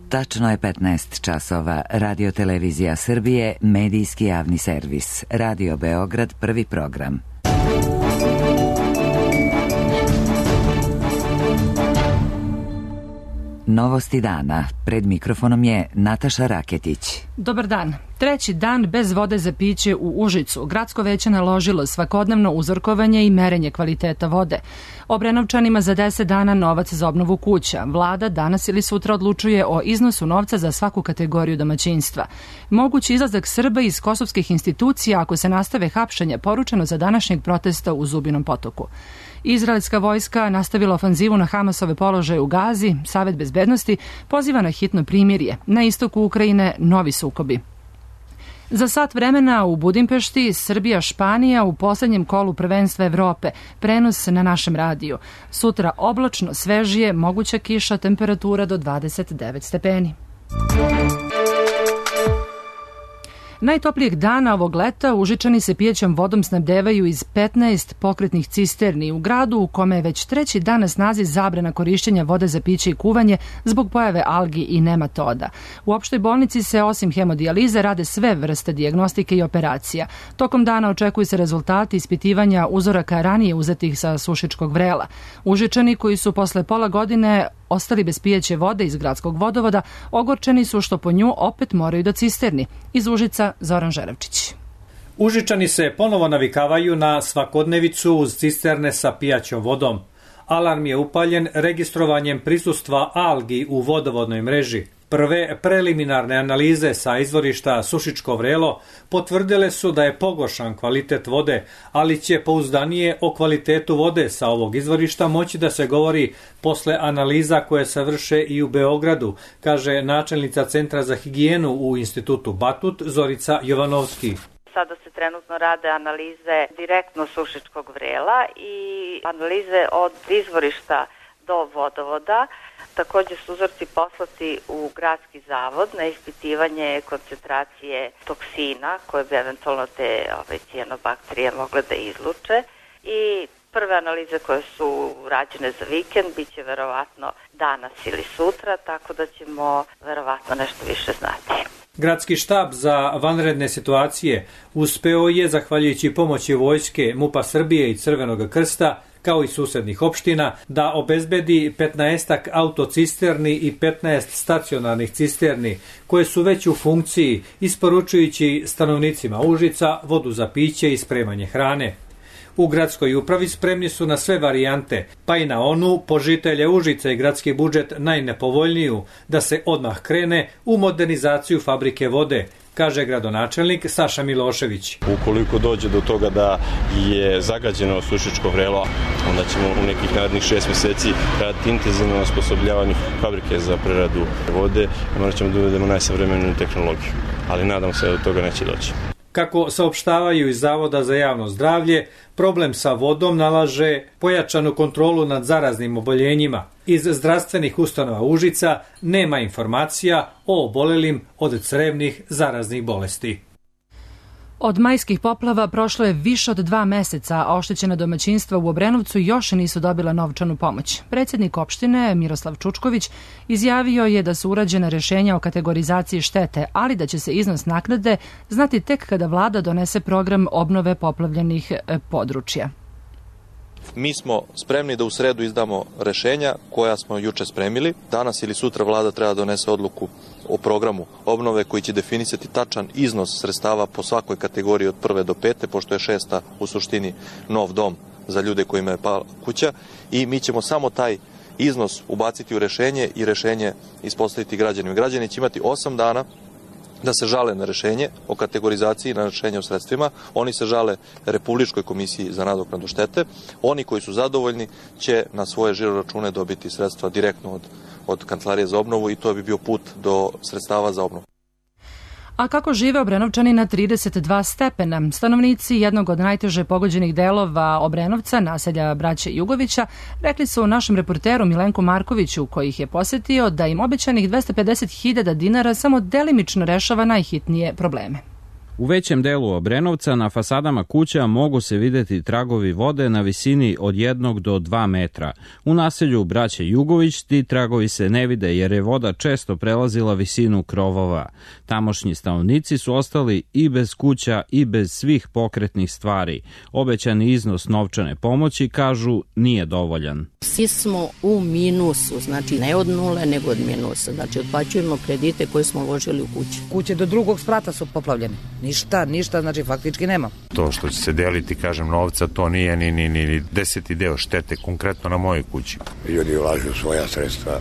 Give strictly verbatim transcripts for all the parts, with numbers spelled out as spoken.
Tačno je petnaest časova. Radio Televizija Srbije, medijski javni servis. Radio Beograd, prvi program. Novosti dana. Pred mikrofonom je Nataša Raketić. Dobar dan. Treći dan bez vode za piće u Užicu. Gradsko veće naložilo svakodnevno uzorkovanje i merenje kvaliteta vode. Obrenovčanima za deset dana novac za obnovu kuća. Vlada danas ili sutra odlučuje o iznosu novca za svaku kategoriju domaćinstva. Mogući izlazak Srba iz kosovskih institucija ako se nastave hapšenja, poručeno za današnjeg protesta u Zubinom Potoku. Izraelska vojska nastavila ofanzivu na Hamasove položaje u Gazi. Savet bezbednosti poziva na hitno primirje. Na istoku Ukrajine novi sukobi. Za sat vremena u Budimpešti, Srbija-Španija u poslednjem kolu prvenstva Evrope. Prenos na našem radiju. Sutra oblačno, svežije, moguća kiša, temperatura do dvadeset devet stepeni. Najtoplijeg dana ovog leta Užičani se pijećom vodom snabdevaju iz petnaest pokretnih cisterni u gradu u kome je već treći dan na snazi zabrana korišćenja vode za piće i kuvanje zbog pojave algi i nematoda. U opštoj bolnici se osim hemodijalize rade sve vrste dijagnostike i operacija. Tokom dana očekuju se rezultati ispitivanja uzoraka ranije uzetih sa Sušičkog vrela. Užičani koji su posle pola godine ostali bez pijeće vode iz gradskog vodovoda, ogorčeni su što po nju opet moraju do cisterni. Iz Užica Zoran Žerevčić. Užičani se ponovo navikavaju na svakodnevicu uz cisterne sa pijaćom vodom. Alarm je upaljen registrovanjem prisustva algi u vodovodnoj mreži. Prve preliminarne analize sa izvorišta Sušičko vrelo potvrdile su da je pogoršan kvalitet vode, ali će pouzdanije o kvalitetu vode sa ovog izvorišta moći da se govori posle analiza koje se vrše i u Beogradu, kaže načelnica Centra za higijenu u Institutu Batut Zorica Jovanovski. Sada se trenutno rade analize direktno Sušičkog vrela i analize od izvorišta do vodovoda. Također su uzorci poslati u gradski zavod na ispitivanje koncentracije toksina koje bi eventualno te ove, cijanobakterije mogle da izluče i prve analize koje su rađene za vikend bit će verovatno danas ili sutra, tako da ćemo verovatno nešto više znati. Gradski štab za vanredne situacije uspeo je, zahvaljujući pomoći vojske, MUP-a Srbije i Crvenog krsta, kao i susednih opština, da obezbedi petnaestak autocisterni i petnaest stacionarnih cisterni, koje su već u funkciji, isporučujući stanovnicima Užica vodu za piće i spremanje hrane. U gradskoj upravi spremni su na sve varijante, pa i na onu, po žitelje Užica i gradski budžet najnepovoljniju, da se odmah krene u modernizaciju fabrike vode, kaže gradonačelnik Saša Milošević. Ukoliko dođe do toga da je zagađeno Sušičko vrelo, onda ćemo u nekih narednih šest meseci raditi intenzivno na osposobljavanju fabrike za preradu vode i morat ćemo da uvedemo najsavremeniju tehnologiju, ali nadam se da do toga neće doći. Kako saopštavaju iz Zavoda za javno zdravlje, problem sa vodom nalaže pojačanu kontrolu nad zaraznim oboljenjima. Iz zdravstvenih ustanova Užica nema informacija o obolelim od crevnih zaraznih bolesti. Od majskih poplava prošlo je više od dva meseca, a oštećena domaćinstva u Obrenovcu još nisu dobila novčanu pomoć. Predsjednik opštine Miroslav Čučković izjavio je da su urađena rešenja o kategorizaciji štete, ali da će se iznos naknade znati tek kada vlada donese program obnove poplavljenih područja. Mi smo spremni da u sredu izdamo rešenja koja smo juče spremili. Danas ili sutra vlada treba da donese odluku o programu obnove koji će definisati tačan iznos sredstava po svakoj kategoriji od prve do pete, pošto je šesta u suštini nov dom za ljude kojima je pala kuća i mi ćemo samo taj iznos ubaciti u rešenje i rešenje ispostaviti građanima. Građani će imati osam dana da se žale na rešenje o kategorizaciji, na rešenje o sredstvima. Oni se žale Republičkoj komisiji za nadoknadu štete. Oni koji su zadovoljni će na svoje žiro račune dobiti sredstva direktno od, od Kancelarije za obnovu i to bi bio put do sredstava za obnovu. A kako žive Obrenovčani na trideset dva stepena? Stanovnici jednog od najteže pogođenih delova Obrenovca, naselja braće Jugovića, rekli su našem reporteru Milenku Markoviću, koji ih je posetio, da im obećanih dvesta pedeset hiljada dinara samo delimično rešava najhitnije probleme. U većem delu Obrenovca na fasadama kuća mogu se videti tragovi vode na visini od jednog do dva metra. U naselju Braće Jugović ti tragovi se ne vide jer je voda često prelazila visinu krovova. Tamošnji stanovnici su ostali i bez kuća i bez svih pokretnih stvari. Obećani iznos novčane pomoći, kažu, nije dovoljan. Svi smo u minusu, znači ne od nule nego od minusa. Znači otplaćujemo kredite koje smo uložili u kući. Kuće do drugog sprata su poplavljene. Ništa, ništa, znači faktički nema. To što će se deliti, kažem, novca, to nije ni, ni, ni deseti deo štete konkretno na mojoj kući. Ljudi ulažu svoja sredstva,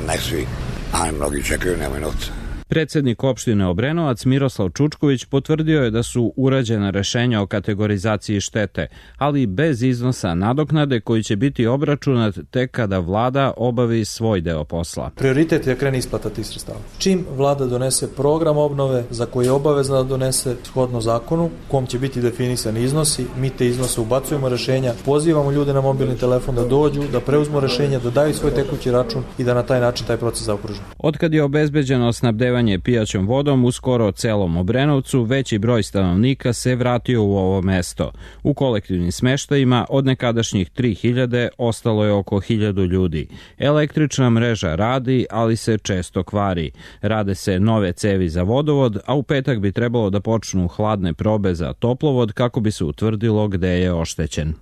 ne svi, a mnogi čekaju, nemaju novca. Predsednik opštine Obrenovac Miroslav Čučković potvrdio je da su urađena rešenja o kategorizaciji štete, ali bez iznosa nadoknade koji će biti obračunat tek kada vlada obavi svoj deo posla. Prioritet je krene isplata tih sredstava. Čim vlada donese program obnove za koji je obavezna da donese shodno zakonu, u kom će biti definisani iznosi, mi te iznose ubacujemo rešenja, pozivamo ljude na mobilni telefon da dođu, da preuzmu rešenja, da daju svoj tekući račun i da na taj način taj proces zaokružimo. Otkad je obezbeđeno snabdevanje pijaćom vodom u skoro celom Obrenovcu, veći broj stanovnika se vratio u ovo mesto. U kolektivnim smeštajima od nekadašnjih tri hiljade ostalo je oko hiljadu ljudi. Električna mreža radi, ali se često kvari. Rade se nove cevi za vodovod, a u petak bi trebalo da počnu hladne probe za toplovod kako bi se utvrdilo gde je oštećen.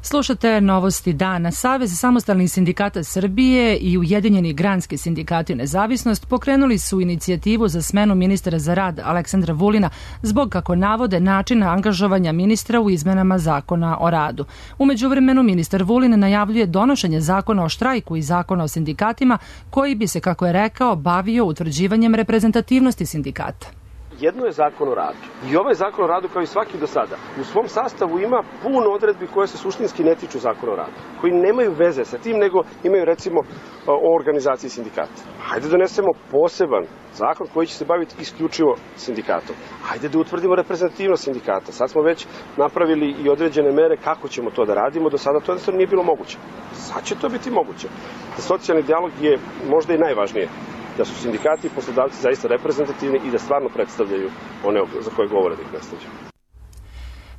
Slušate novosti dana. Savez samostalnih sindikata Srbije i Ujedinjeni granski sindikati Nezavisnost pokrenuli su inicijativu za smenu ministra za rad Aleksandra Vulina zbog, kako navode, načina angažovanja ministra u izmenama zakona o radu. U međuvremenu ministar Vulin najavljuje donošenje zakona o štrajku i zakona o sindikatima koji bi se, kako je rekao, bavio utvrđivanjem reprezentativnosti sindikata. Jedno je zakon o radu. I ovaj zakon o radu, kao i svaki do sada, u svom sastavu ima puno odredbi koje se suštinski ne tiču zakona o radu, koji nemaju veze sa tim, nego imaju, recimo, o organizaciji sindikata. Hajde donesemo poseban zakon koji će se baviti isključivo sindikatom. Hajde da utvrdimo reprezentativnost sindikata. Sad smo već napravili i određene mere kako ćemo to da radimo. Do sada to jednostavno nije bilo moguće. Sad će to biti moguće. Socijalni dijalog je možda i najvažnije. Da su sindikati i poslodavci zaista reprezentativni i da stvarno predstavljaju one za koje govore da ih predstavljaju.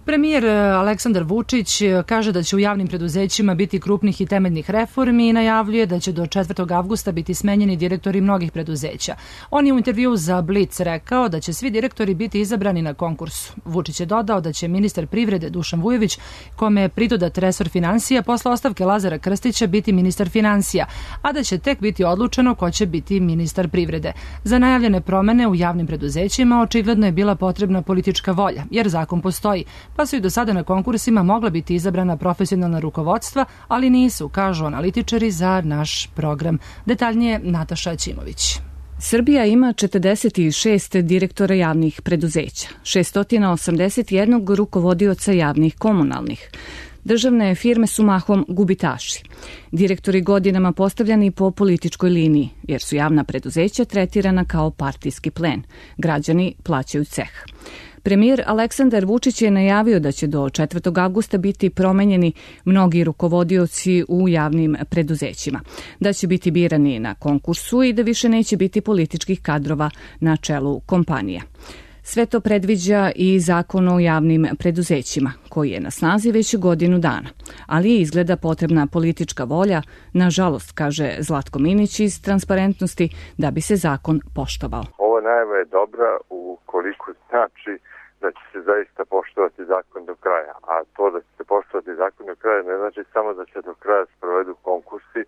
Premijer Aleksandar Vučić kaže da će u javnim preduzećima biti krupnih i temeljnih reformi i najavljuje da će do četvrtog avgusta biti smenjeni direktori mnogih preduzeća. On je u intervjuu za Blic rekao da će svi direktori biti izabrani na konkursu. Vučić je dodao da će ministar privrede Dušan Vujović, kome je pridodat resor finansija, posle ostavke Lazara Krstića biti ministar finansija, a da će tek biti odlučeno ko će biti ministar privrede. Za najavljene promene u javnim preduzećima očigledno je bila potrebna politička volja, jer zakon postoji, pa su i do sada na konkursima mogla biti izabrana profesionalna rukovodstva, ali nisu, kažu analitičari za naš program. Detaljnije Nataša Ćimović. Srbija ima četrdeset šest direktora javnih preduzeća, šesto osamdeset jedan rukovodioca javnih komunalnih. Državne firme su mahom gubitaši. Direktori godinama postavljani po političkoj liniji, jer su javna preduzeća tretirana kao partijski plen. Građani plaćaju ceh. Premijer Aleksandar Vučić je najavio da će do četvrtog avgusta biti promenjeni mnogi rukovodioci u javnim preduzećima, da će biti birani na konkursu i da više neće biti političkih kadrova na čelu kompanija. Sve to predviđa i zakon o javnim preduzećima, koji je na snazi već godinu dana, ali je izgleda potrebna politička volja, nažalost, kaže Zlatko Minić iz Transparentnosti, da bi se zakon poštovao. Ova najava je dobra ukoliko znači da će se zaista poštovati zakon do kraja, a to da će se poštovati zakon do kraja ne znači samo da će do kraja sprovedu konkursi.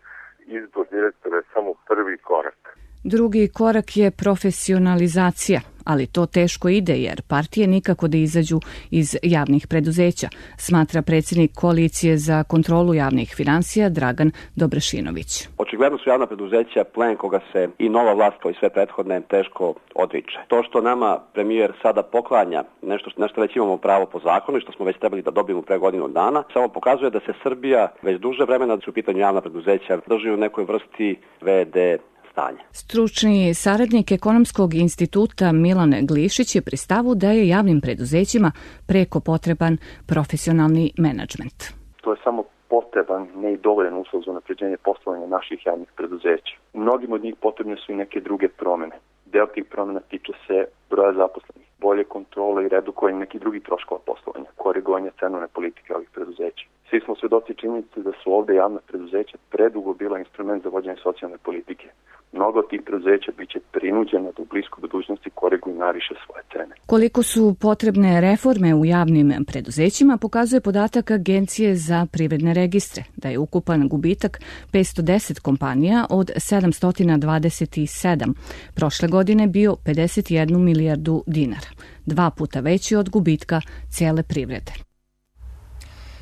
Izbor direktora je samo prvi korak. Drugi korak je profesionalizacija, ali to teško ide jer partije nikako da izađu iz javnih preduzeća, smatra predsjednik Koalicije za kontrolu javnih finansija Dragan Dobrašinović. Očigledno su javna preduzeća plen koga se i nova vlast kao i sve prethodne teško odriče. To što nama premijer sada poklanja nešto na što već imamo pravo po zakonu i što smo već trebali da dobijemo pre godinu dana, samo pokazuje da se Srbija već duže vremena, da su u pitanju javna preduzeća, drži u nekoj vrsti ve de stanja. Stručni saradnik Ekonomskog instituta Milan Glišić je pri stavu da je javnim preduzećima preko potreban profesionalni menadžment. To je samo potreban, ne i dovoljan uslov za unapređenje poslovanja naših javnih preduzeća. U mnogim od njih potrebne su i neke druge promene. Deo tih promena tiče se broja zaposlenih. bolje kontrole i redukovanje nekih drugih troškova poslovanja, korigovanje cenovne politike ovih preduzeća. Svi smo svedoci činjenice da su ovde javna preduzeća predugo bila instrument za vođenje socijalne politike. Mnogo od tih preduzeća biće prinuđena da u bliskoj budućnosti koriguju i nariše svoje cene. Koliko su potrebne reforme u javnim preduzećima pokazuje podatak Agencije za privredne registre, da je ukupan gubitak petsto deset kompanija od sedamsto dvadeset sedam. Prošle godine bio pedeset jednu milijardu dinara, dva puta veći od gubitka cijele privrede.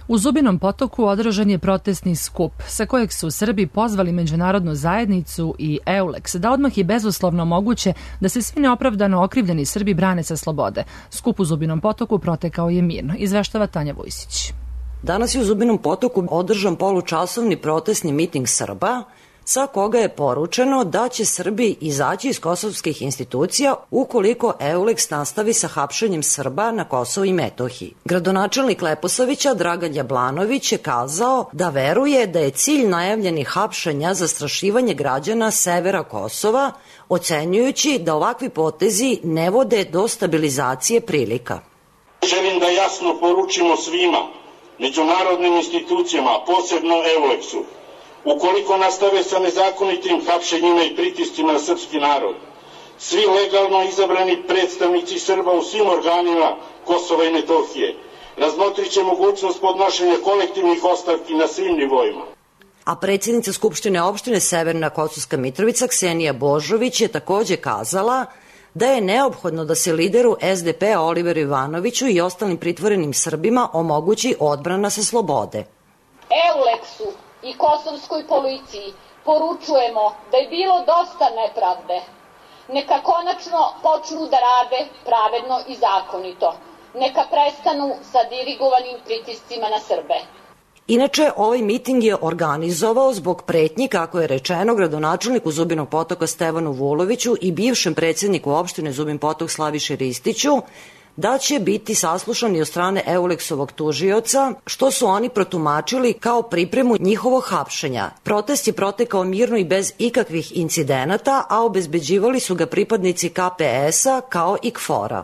U Zubinom Potoku održan je protestni skup sa kojeg su Srbi pozvali međunarodnu zajednicu i EULEX da odmah i bezuslovno moguće da se svi neopravdano okrivljeni Srbi brane sa slobode. Skup u Zubinom Potoku protekao je mirno, izveštava Tanja Vujsić. Danas je u Zubinom Potoku održan polučasovni protestni miting Srba, sa koga je poručeno da će Srbi izaći iz kosovskih institucija ukoliko EULEX nastavi sa hapšenjem Srba na Kosovu i Metohiji. Gradonačelnik Leposavića Dragan Jablanović je kazao da veruje da je cilj najavljenih hapšenja zastrašivanje građana severa Kosova, ocenjujući da ovakvi potezi ne vode do stabilizacije prilika. Želim da jasno poručimo svima, međunarodnim institucijama, posebno EULEX-u, ukoliko nastave sa nezakonitim hapšenjima i pritiscima na srpski narod, svi legalno izabrani predstavnici Srba u svim organima Kosova i Metohije razmotrit će mogućnost podnošenja kolektivnih ostavki na svim nivoima. A predsjednica Skupštine opštine Severna Kosovska Mitrovica Ksenija Božović je takođe kazala da je neophodno da se lideru S D P-a Oliveru Ivanoviću i ostalim pritvorenim Srbima omogući odbrana sa slobode. EULEX-u i kosovskoj policiji poručujemo da je bilo dosta nepravde. Neka konačno počnu da rade pravedno i zakonito. Neka prestanu sa dirigovanim pritiscima na Srbe. Inače, ovaj miting je organizovao zbog pretnji, kako je rečeno, gradonačelniku Zubinog Potoka Stevanu Vuloviću i bivšem predsjedniku opštine Zubin Potok Slaviši Ristiću, da će biti saslušani od strane EULEX-ovog tužioca, što su oni protumačili kao pripremu njihovog hapšenja. Protest je protekao mirno i bez ikakvih incidenata, a obezbeđivali su ga pripadnici K P S-a kao i K F O R-a.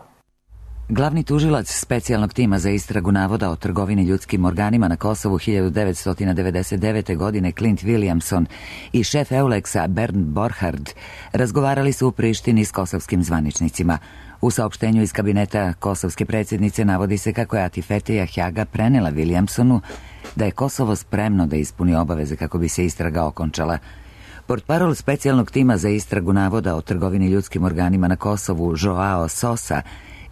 Glavni tužilac specijalnog tima za istragu navoda o trgovini ljudskim organima na Kosovu hiljadu devetsto devedeset devete. godine Clint Williamson i šef EULEX-a Bernd Borchardt razgovarali su u Prištini s kosovskim zvaničnicima. U saopštenju iz kabineta kosovske predsjednice navodi se kako je Atifetija Hjaga prenela Williamsonu da je Kosovo spremno da ispuni obaveze kako bi se istraga okončala. Portparol specijalnog tima za istragu navoda o trgovini ljudskim organima na Kosovu Joao Sosa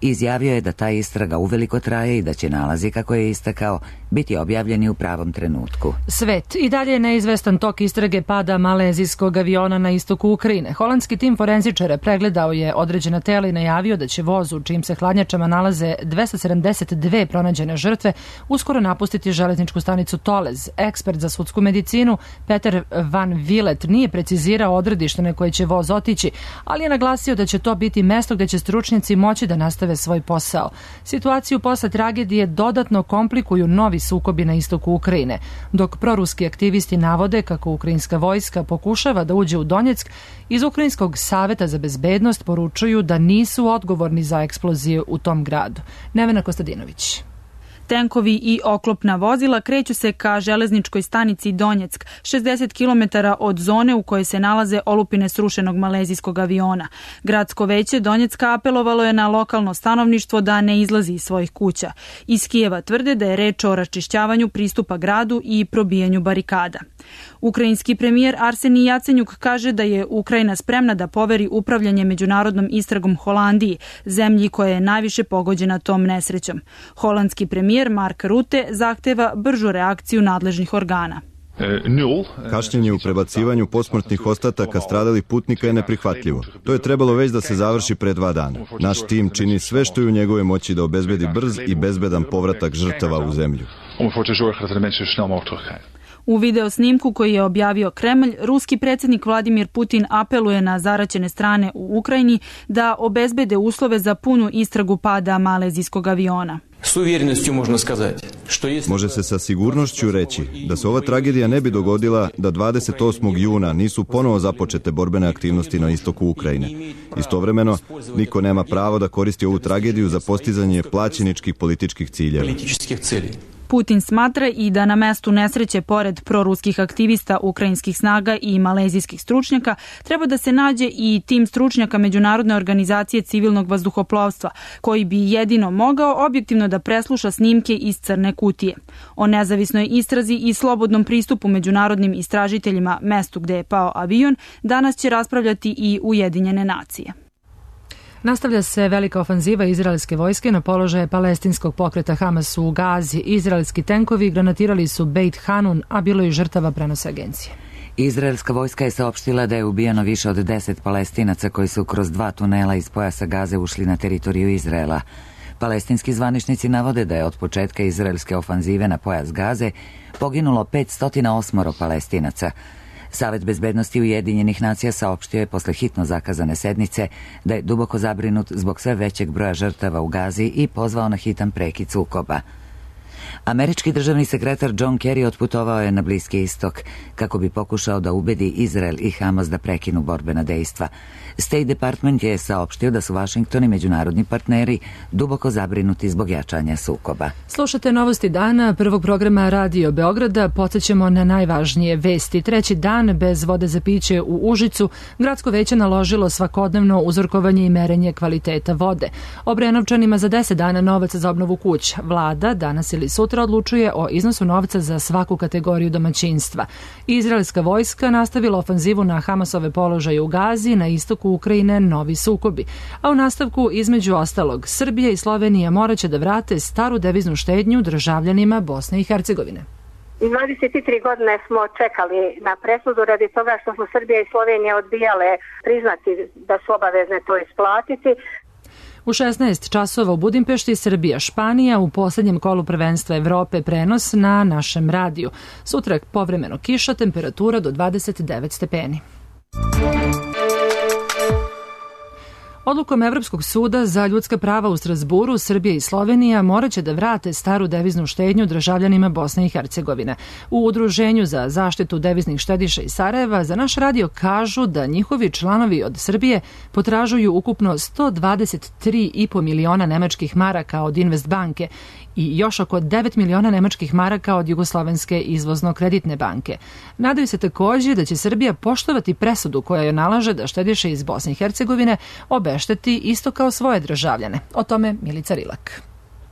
izjavio je da ta istraga uveliko traje i da će nalazi, kako je istakao, biti objavljeni u pravom trenutku. Svet. I dalje je neizvestan tok istrage pada malezijskog aviona na istoku Ukrajine. Holandski tim forenzičara pregledao je određena tela i najavio da će voz u čijim se hladnjačama nalaze dvesta sedamdeset dve pronađene žrtve uskoro napustiti železničku stanicu Tolez. Ekspert za sudsku medicinu Peter Van Villet nije precizirao odredište na koje će voz otići, ali je naglasio da će to biti mesto gde će stručnjaci moći da nastave svoj posao. Situaciju posle tragedije dodatno komplikuju novi sukobi na istoku Ukrajine, dok proruski aktivisti navode kako ukrajinska vojska pokušava da uđe u Donjeck, iz Ukrajinskog saveta za bezbednost poručuju da nisu odgovorni za eksploziju u tom gradu. Nevena Kostadinović. Tenkovi i oklopna vozila kreću se ka železničkoj stanici Donjeck, šezdeset kilometara od zone u kojoj se nalaze olupine srušenog malezijskog aviona. Gradsko veće Donjecka apelovalo je na lokalno stanovništvo da ne izlazi iz svojih kuća. Iz Kijeva tvrde da je reč o raščišćavanju pristupa gradu i probijanju barikada. Ukrajinski premijer Arsenij Jacenjuk kaže da je Ukrajina spremna da poveri upravljanje međunarodnom istragom Holandiji, zemlji koja je najviše pogođena tom nesrećom. Holandski premijer Mark Rutte zahteva bržu reakciju nadležnih organa. Kašnjenje u prebacivanju posmrtnih ostataka stradalih putnika je neprihvatljivo. To je trebalo već da se završi pre dva dana. Naš tim čini sve što je u njegove moći da obezbedi brz i bezbedan povratak žrtava u zemlju. U video snimku koji je objavio Kremlj, ruski predsjednik Vladimir Putin apeluje na zaraćene strane u Ukrajini da obezbede uslove za punu istragu pada malezijskog aviona. Može se sa sigurnošću reći da se ova tragedija ne bi dogodila da dvadeset osmog juna nisu ponovo započete borbene aktivnosti na istoku Ukrajine. Istovremeno, niko nema pravo da koristi ovu tragediju za postizanje plaćeničkih političkih ciljeva. Putin smatra i da na mestu nesreće pored proruskih aktivista ukrajinskih snaga i malezijskih stručnjaka treba da se nađe i tim stručnjaka Međunarodne organizacije civilnog vazduhoplovstva, koji bi jedino mogao objektivno da presluša snimke iz crne kutije. O nezavisnoj istrazi i slobodnom pristupu međunarodnim istražiteljima mestu gde je pao avion danas će raspravljati i Ujedinjene nacije. Nastavlja se velika ofanziva izraelske vojske na položaje palestinskog pokreta Hamas u Gazi. Izraelski tenkovi granatirali su Beit Hanun, a bilo je žrtava, prenose agencije. Izraelska vojska je saopštila da je ubijeno više od deset Palestinaca koji su kroz dva tunela iz pojasa Gaze ušli na teritoriju Izraela. Palestinski zvaničnici navode da je od početka izraelske ofanzive na pojas Gaze poginulo petsto osam Palestinaca. Savet bezbednosti Ujedinjenih nacija saopštio je posle hitno zakazane sednice da je duboko zabrinut zbog sve većeg broja žrtava u Gazi i pozvao na hitan prekid sukoba. Američki državni sekretar John Kerry otputovao je na Bliski istok kako bi pokušao da ubedi Izrael i Hamas da prekinu borbena dejstva. State Department je saopštio da su Washington i međunarodni partneri duboko zabrinuti zbog jačanja sukoba. Slušate novosti dana prvog programa Radio Beograda. Podsjećamo na najvažnije vesti. Treći dan bez vode za piće u Užicu. Gradsko veće naložilo svakodnevno uzorkovanje i merenje kvaliteta vode. Obrenovčanima za deset dana novac za obnovu kuća. Vlada danas ili sutra odlučuje o iznosu novca za svaku kategoriju domaćinstva. Izraelska vojska nastavila ofanzivu na Hamasove položaje u Gazi, na istoku Ukrajine novi sukobi. A u nastavku, između ostalog, Srbija i Slovenija moraće da vrate staru deviznu štednju državljanima Bosne i Hercegovine. dvadeset tri godine smo čekali na presudu radi toga što su Srbija i Slovenija odbijale priznati da su obavezne to isplatiti. U šesnaest časova u Budimpešti Srbija Španija u poslednjem kolu prvenstva Evrope, prenos na našem radiju. Sutra povremeno kiša, temperatura do dvadeset devet stepeni. Odlukom Evropskog suda za ljudska prava u Strazburu, Srbija i Slovenija moraće da vrate staru deviznu štednju državljanima Bosne i Hercegovine. U Udruženju za zaštitu deviznih štediša iz Sarajeva za naš radio kažu da njihovi članovi od Srbije potražuju ukupno sto dvadeset tri i po miliona nemačkih maraka od Investbanke i još oko devet miliona nemačkih maraka od Jugoslovenske izvozno-kreditne banke. Nadaju se također da će Srbija poštovati presudu koja joj nalaže da štediše iz Bosne i Hercegovine obešteti isto kao svoje državljane. O tome Milica Rilak.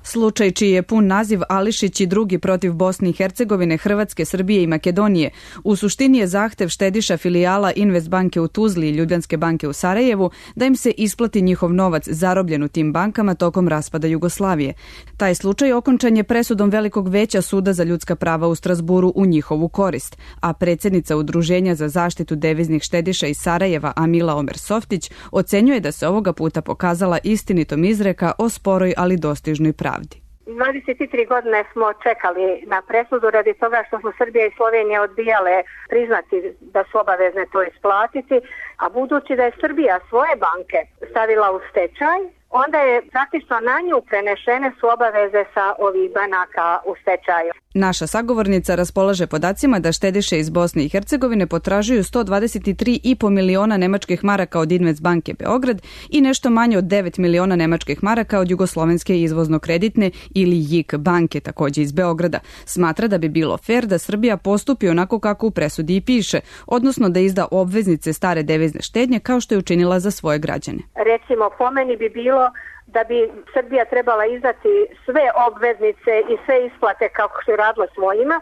Slučaj čiji je pun naziv Ališić i drugi protiv Bosne i Hercegovine, Hrvatske, Srbije i Makedonije u suštini je zahtev štediša filijala Investbanke u Tuzli i Ljubljanske banke u Sarajevu da im se isplati njihov novac zarobljen u tim bankama tokom raspada Jugoslavije. Taj slučaj okončan je presudom Velikog veća Suda za ljudska prava u Strazburu u njihovu korist, a predsjednica Udruženja za zaštitu deviznih štediša iz Sarajeva Amila Omer-Softić ocenjuje da se ovoga puta pokazala istinitom izreka o sporoj ali dostižnoj pravi. dvadeset tri godine smo čekali na presudu radi toga što su Srbija i Slovenija odbijale priznati da su obavezne to isplatiti, a budući da je Srbija svoje banke stavila u stečaj, onda je praktično na nju prenešene su obaveze sa ovih banaka u stečaju. Naša sagovornica raspolaže podacima da štediše iz Bosne i Hercegovine potražuju sto dvadeset tri i po miliona nemačkih maraka od Investbanke Beograd i nešto manje od devet miliona nemačkih maraka od Jugoslovenske izvozno-kreditne ili J I K banke, također iz Beograda. Smatra da bi bilo fer da Srbija postupi onako kako u presudi i piše, odnosno da izda obveznice stare devizne štednje kao što je učinila za svoje građane. Recimo, po meni bi bilo da bi Srbija trebala izdati sve obveznice i sve isplate kako se radilo svojima,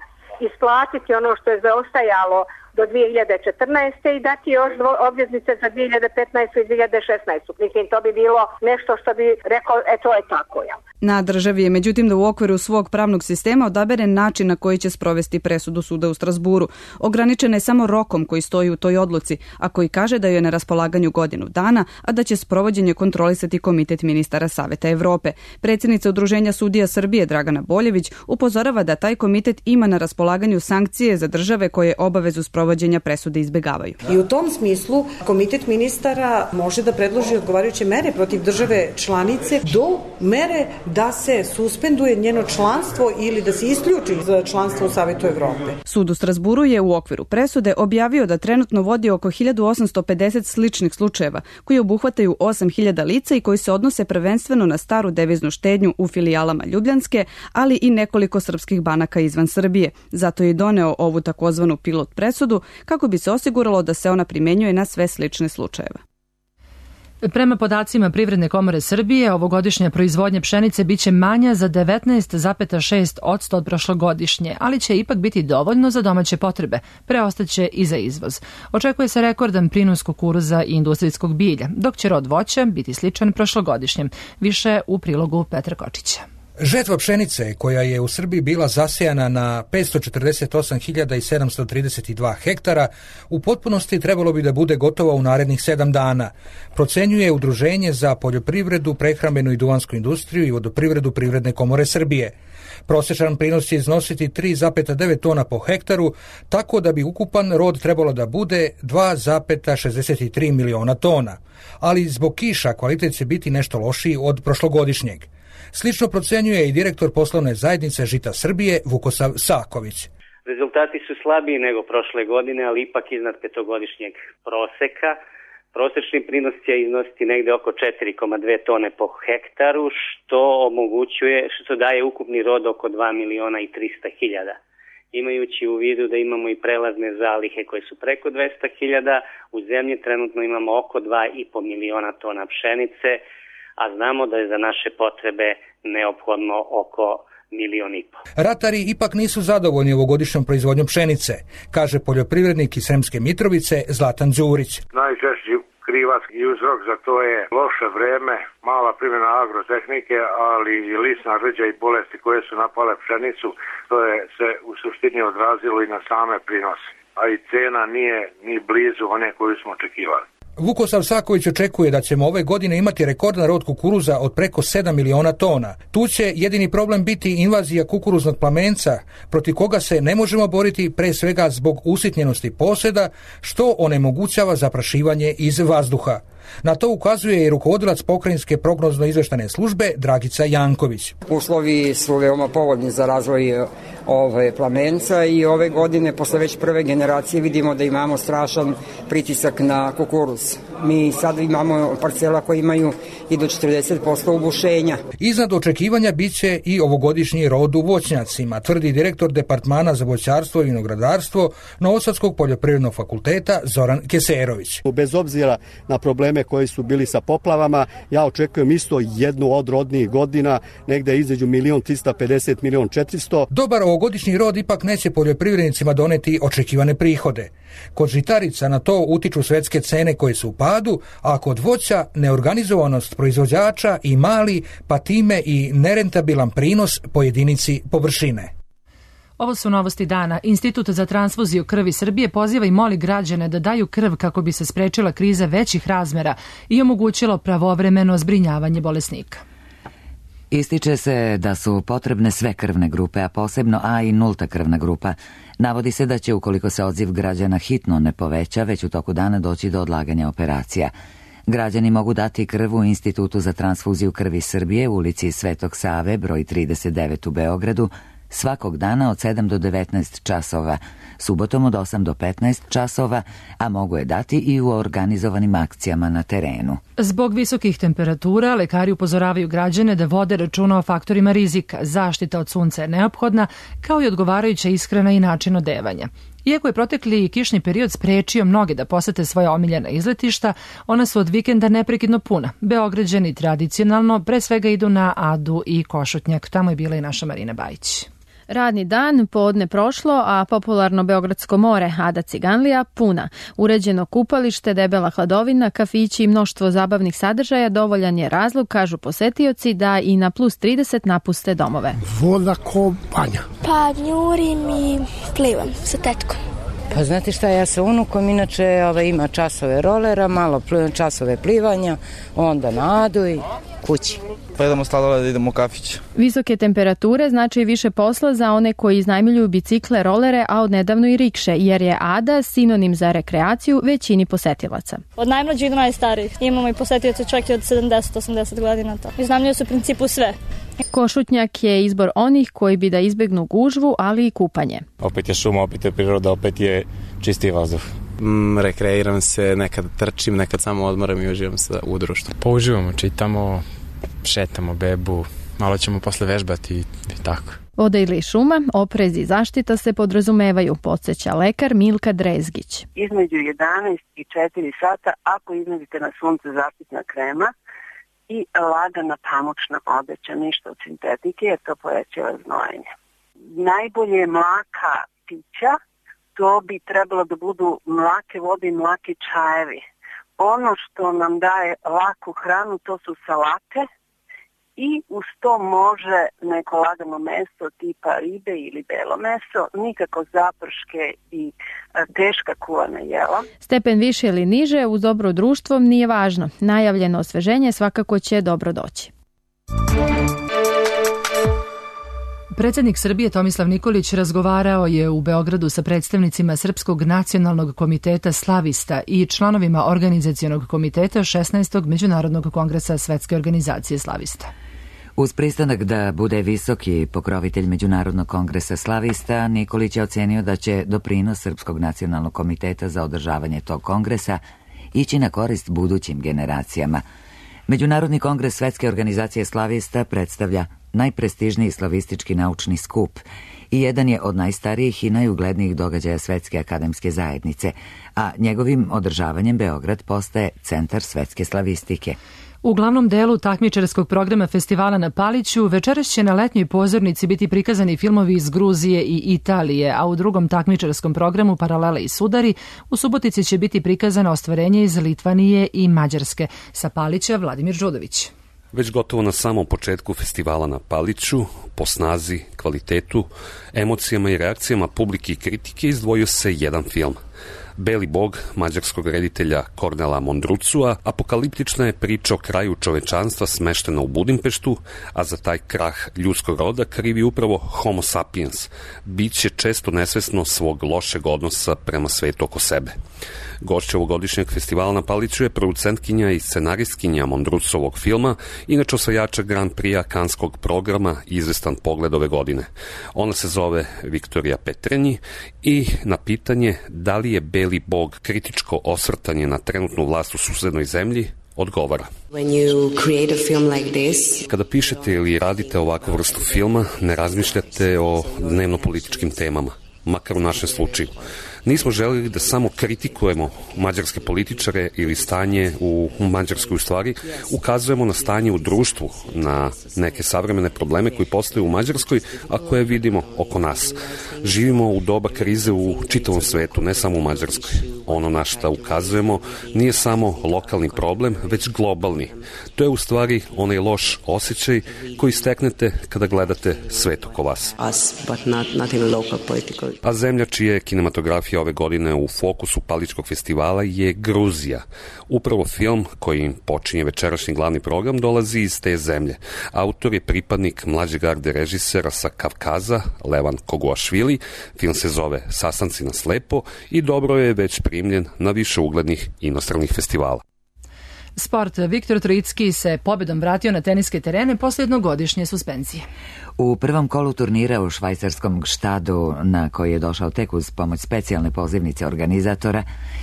isplatiti ono što je zaostajalo do dvije hiljade četrnaeste. i dati još dvo, obveznice za dvije hiljade petnaestu. i dvije hiljade šesnaestu. Mislim, to bi bilo nešto što bi rekao, e to je tako, jel? Na državi je međutim da u okviru svog pravnog sistema odabere način na koji će sprovesti presudu suda u Strazburu. Ograničena je samo rokom koji stoji u toj odluci, a koji kaže da je na raspolaganju godinu dana, a da će sprovođenje kontrolisati Komitet ministara Saveta Evrope. Predsjednica Udruženja sudija Srbije Dragana Boljević upozorava da taj komitet ima na raspolaganju sankcije za države koje obavezu sprovođenja presude izbegavaju. I u tom smislu Komitet ministara može da predloži odgovarajuće mere protiv države članice do mere da se suspenduje njeno članstvo ili da se isključi za članstvo u Savetu Evrope. Sud u Strazburu je u okviru presude objavio da trenutno vodi oko hiljadu osamsto pedeset sličnih slučajeva koji obuhvataju osam hiljada lica i koji se odnose prvenstveno na staru deviznu štednju u filijalama Ljubljanske, ali i nekoliko srpskih banaka izvan Srbije. Zato je i doneo ovu takozvanu pilot presudu kako bi se osiguralo da se ona primenjuje na sve slične slučajeve. Prema podacima Privredne komore Srbije, ovogodišnja proizvodnja pšenice biće manja za devetnaest zarez šest posto od prošlogodišnje, ali će ipak biti dovoljno za domaće potrebe, preostaće i za izvoz. Očekuje se rekordan prinos kukuruza i industrijskog bilja, dok će rod voća biti sličan prošlogodišnjem. Više u prilogu Petra Kočića. Žetva pšenice, koja je u Srbiji bila zasejana na petsto četrdeset osam hiljada sedamsto trideset dva hektara, u potpunosti trebalo bi da bude gotova u narednih sedam dana, procenjuje Udruženje za poljoprivredu, prehrambenu i duvansku industriju i vodoprivredu Privredne komore Srbije. Prosječan prinos će iznositi tri zarez devet tona po hektaru, tako da bi ukupan rod trebalo da bude dva zarez šezdeset tri miliona tona, ali zbog kiša kvalitet će biti nešto lošiji od prošlogodišnjeg. Slično procenjuje i direktor poslovne zajednice Žita Srbije Vukosav Saković. Rezultati su slabiji nego prošle godine, ali ipak iznad petogodišnjeg proseka. Prosečni prinos će iznositi negde oko četiri zarez dve tone po hektaru, što omogućuje, što daje ukupni rod oko dva miliona i trista hiljada. Imajući u vidu da imamo i prelazne zalihe koje su preko dvesta hiljada, u zemlji trenutno imamo oko dva i po miliona tona pšenice, a znamo da je za naše potrebe neophodno oko milion i po. Ratari ipak nisu zadovoljni ovogodišnjom proizvodnjom pšenice, kaže poljoprivrednik iz Sremske Mitrovice Zlatan Đurić. Najčešći krivac i uzrok za to je loše vreme, mala primjena agrotehnike, ali i lisna rđa i bolesti koje su napale pšenicu, to je se u suštini odrazilo i na same prinose, a i cena nije ni blizu one koju smo očekivali. Vukosav Saković očekuje da ćemo ove godine imati rekordan rod kukuruza od preko sedam miliona tona. Tu će jedini problem biti invazija kukuruznog plamenca, protiv koga se ne možemo boriti pre svega zbog usitnjenosti posjeda, što onemogućava zaprašivanje iz vazduha. Na to ukazuje i rukovodilac pokrajinske prognozno-izveštane službe Dragica Janković. Uslovi su veoma povoljni za razvoj ove plamenca i ove godine, posle već prve generacije, vidimo da imamo strašan pritisak na kukuruz. Mi sad imamo parcela koje imaju i do četrdeset posto ubušenja. Iznad očekivanja biće i ovogodišnji rod u voćnjacima, tvrdi direktor Departmana za voćarstvo i vinogradarstvo Novosadskog poljoprivrednog fakulteta Zoran Keserović. Bez obzira na probleme koji su bili sa poplavama, ja očekujem isto jednu od rodnijih godina, negde između milion trista pedeset, milion četiristo. Dobar ovogodišnji rod ipak neće poljoprivrednicima doneti očekivane prihode. Kod žitarica na to utiču svetske cene koje su u padu, a kod voća neorganizovanost proizvođača i mali, pa time i nerentabilan prinos po jedinici površine. Ovo su novosti dana. Institut za transfuziju krvi Srbije poziva i moli građane da daju krv kako bi se sprečila kriza većih razmera i omogućilo pravovremeno zbrinjavanje bolesnika. Ističe se da su potrebne sve krvne grupe, a posebno A i nulta krvna grupa. Navodi se da će, ukoliko se odziv građana hitno ne poveća, već u toku dana doći do odlaganja operacija. Građani mogu dati krv u Institutu za transfuziju krvi Srbije u ulici Svetog Save, broj trideset devet u Beogradu, svakog dana od sedam do devetnaest časova, subotom od osam do petnaest časova, a mogu je dati i u organizovanim akcijama na terenu. Zbog visokih temperatura, lekari upozoravaju građane da vode računa o faktorima rizika. Zaštita od sunca je neophodna, kao i odgovarajuća ishrana i način odevanja. Iako je protekli kišni period sprečio mnoge da posete svoja omiljena izletišta, ona su od vikenda neprekidno puna. Beograđani tradicionalno pre svega idu na Adu i Košutnjak. Tamo je bila i naša Marina Bajić. Radni dan, podne prošlo, a popularno Beogradsko more, Ada Ciganlija, puna. Uređeno kupalište, debela hladovina, kafići i mnoštvo zabavnih sadržaja dovoljan je razlog, kažu posetioci, da i na plus trideset napuste domove. Voda ko banja. Pa njurim i plivam sa tetkom. Pa znate šta, ja sa unukom, inače ovaj, ima časove rolera, malo časove plivanja, onda na Adu i kući. Pa idemo sladoled da idemo u kafić. Visoke temperature znači više posla za one koji iznajmljuju bicikle, rolere, a odnedavno i rikše, jer je Ada sinonim za rekreaciju većini posetilaca. Od najmlađih do najstarijih. Imamo i posetioce čak i od sedamdeset do osamdeset godina. To. Iznajmljuju se u principu sve. Košutnjak je izbor onih koji bi da izbegnu gužvu, ali i kupanje. Opet je šuma, opet je priroda, opet je čisti vazduh. Mm, rekreiram se, nekad trčim, nekad samo odmoram i uživam se u društvu. Pa uživamo, čitamo, šetamo bebu, malo ćemo posle vežbati i, i tako. Voda ili šuma, oprez i zaštita se podrazumevaju, podsjeća lekar Milka Drezgić. Između jedanaest i četiri sata, ako iznedite na sunce, zaštitna krema i lagana pamučna odeća, ništa od sintetike, jer to povećava znojenje. Najbolje je mlaka pića, to bi trebalo da budu mlake vode i mlaki čajevi. Ono što nam daje laku hranu, to su salate i uz to može neko lagano meso tipa ribe ili belo meso, nikako zaprške i teška kuvana jela. Stepen više ili niže uz dobro društvo nije važno. Najavljeno osveženje svakako će dobro doći. Predsjednik Srbije Tomislav Nikolić razgovarao je u Beogradu sa predstavnicima Srpskog nacionalnog komiteta Slavista i članovima organizacionog komiteta šesnaestog Međunarodnog kongresa Svetske organizacije Slavista. Uz pristanak da bude visoki pokrovitelj Međunarodnog kongresa Slavista, Nikolić je ocenio da će doprinos Srpskog nacionalnog komiteta za održavanje tog kongresa ići na korist budućim generacijama. Međunarodni kongres Svetske organizacije Slavista predstavlja najprestižniji slavistički naučni skup i jedan je od najstarijih i najuglednijih događaja Svetske akademske zajednice, a njegovim održavanjem Beograd postaje centar svetske slavistike. U glavnom delu takmičarskog programa festivala na Paliću večeras će na letnjoj pozornici biti prikazani filmovi iz Gruzije i Italije, a u drugom takmičarskom programu Paralele i sudari u Subotici će biti prikazano ostvarenje iz Litvanije i Mađarske. Sa Palića Vladimir Žudović. Već gotovo na samom početku festivala na Paliću, po snazi, kvalitetu, emocijama i reakcijama publike i kritike izdvojio se jedan film. Beli bog mađarskog reditelja Kornela Mondrucua apokaliptična je priča o kraju čovečanstva smeštena u Budimpeštu, a za taj krah ljudskog roda krivi upravo Homo sapiens, biće često nesvesno svog lošeg odnosa prema svetu oko sebe. Gošća ovogodišnjeg festivala na Paliću je producentkinja i scenaristkinja Mondrucovog filma, inače osvajača Grand Prix kanskog programa Izvestan pogled ove godine. Ona se zove Viktorija Petrenji i na pitanje da li je Beli bog kritičko osvrtanje na trenutnu vlast u susednoj zemlji, odgovara. Kada pišete ili radite ovakvu vrstu filma, ne razmišljate o dnevno-političkim temama, makar u našem slučaju. Nismo želeli da samo kritikujemo mađarske političare ili stanje u Mađarskoj, u stvari ukazujemo na stanje u društvu, na neke savremene probleme koji postoje u Mađarskoj, a koje vidimo oko nas. Živimo u doba krize u čitavom svetu, ne samo u Mađarskoj. Ono na šta ukazujemo nije samo lokalni problem, već globalni. To je u stvari onaj loš osjećaj koji steknete kada gledate svet oko vas. A zemlja čija je kinematografija ove godine u fokusu Palićkog festivala je Gruzija. Upravo film kojim počinje večerašnji glavni program dolazi iz te zemlje. Autor je pripadnik mlađe garde režisera sa Kavkaza, Levan Koguašvili. Film se zove Sastanci na slepo i dobro je već primljen na više uglednih inostranih festivala. Sport. Viktor Trojicki se pobedom vratio na teniske terene posle jednogodišnje suspenzije. U prvom kolu turnira u švajcarskom Gštadu, na koji je došao tek uz pomoć specijalne pozivnice organizatora,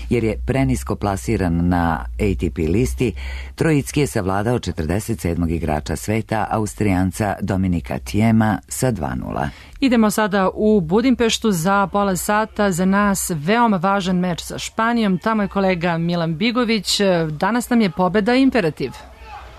jer je prenisko plasiran na A T P listi, Trojicki je savladao četrdeset sedmog igrača sveta, Austrijanca Dominika Tijema, sa dva nula. Idemo sada u Budimpeštu za pola sata. Za nas veoma važan meč sa Španijom. Tamo je kolega Milan Bigović. Danas nam je pobeda imperativ.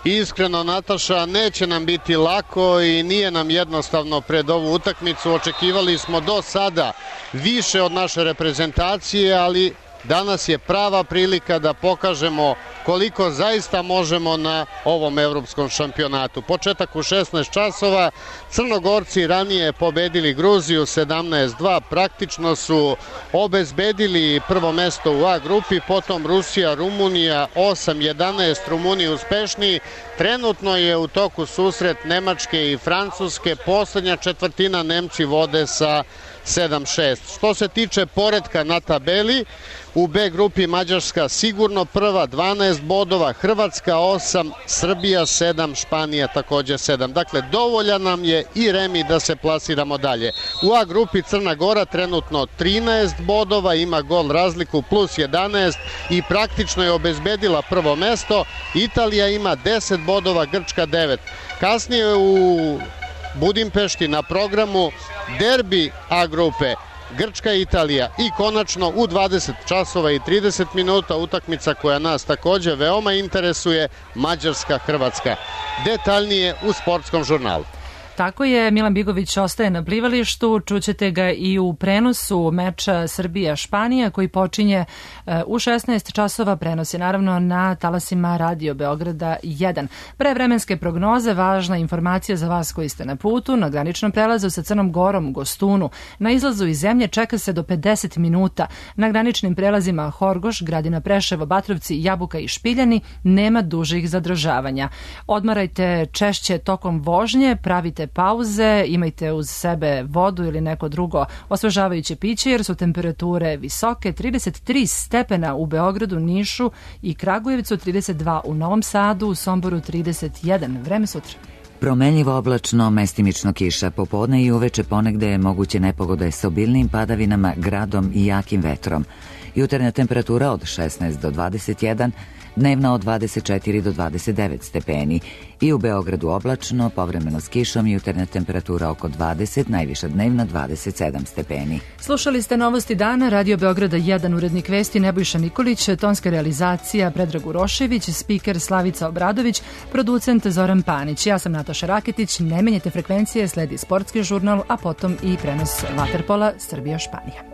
Iskreno, Nataša, neće nam biti lako i nije nam jednostavno pred ovu utakmicu. Očekivali smo do sada više od naše reprezentacije, ali danas je prava prilika da pokažemo koliko zaista možemo na ovom evropskom šampionatu. Početak u šesnaest časova, Crnogorci ranije pobedili Gruziju sedamnaest dva, praktično su obezbedili prvo mesto u A grupi, potom Rusija, Rumunija osam jedanaest, Rumuni uspešniji. Trenutno je u toku susret Nemačke i Francuske, poslednja četvrtina Nemci vode sa sedam šest. Što se tiče poretka na tabeli, u B grupi Mađarska sigurno prva, dvanaest bodova, Hrvatska osam, Srbija sedam, Španija takođe sedam. Dakle, dovoljan nam je i remi da se plasiramo dalje. U A grupi Crna Gora trenutno trinaest bodova, ima gol razliku plus jedanaest i praktično je obezbedila prvo mesto. Italija ima deset bodova, Grčka devet. Kasnije u Budimpešti na programu derbi A grupe Grčka i Italija i konačno u dvadeset časova i trideset minuta utakmica koja nas takođe veoma interesuje, Mađarska-Hrvatska. Detaljnije u sportskom žurnalu. Tako je, Milan Bigović ostaje na plivalištu, čućete ga i u prenosu meča Srbija-Španija koji počinje u šesnaest časova, prenosi naravno na talasima Radio Beograda jedan. Pre vremenske prognoze, važna informacija za vas koji ste na putu, na graničnom prelazu sa Crnom Gorom, Gostunu. Na izlazu iz zemlje čeka se do pedeset minuta. Na graničnim prelazima Horgoš, Gradina, Preševo, Batrovci, Jabuka i Špiljani nema dužih zadržavanja. Odmarajte češće tokom vožnje, pravite pauze, imajte uz sebe vodu ili neko drugo osvežavajuće piće jer su temperature visoke, trideset tri stepena u Beogradu, Nišu i Kragujevcu, trideset dva u Novom Sadu, u Somboru trideset jedan. Vreme sutra. Promenljivo oblačno, mestimično kiša, popodne i uveče ponegde je moguće nepogode s obilnim padavinama, gradom i jakim vetrom. Jutarnja temperatura od šesnaest do dvadeset jedan, dnevna od dvadeset četiri do dvadeset devet stepeni. I u Beogradu oblačno, povremeno s kišom, jutarnja temperatura oko dvadeset, najviša dnevna dvadeset sedam stepeni. Slušali ste Novosti dana, Radio Beograda jedan, urednik vesti Nebojša Nikolić, tonska realizacija Predrag Urošević, spiker Slavica Obradović, producent Zoran Panić. Ja sam Nataša Raketić, ne menjate frekvencije, sledi sportski žurnal, a potom i prenos vaterpola Srbija-Španija.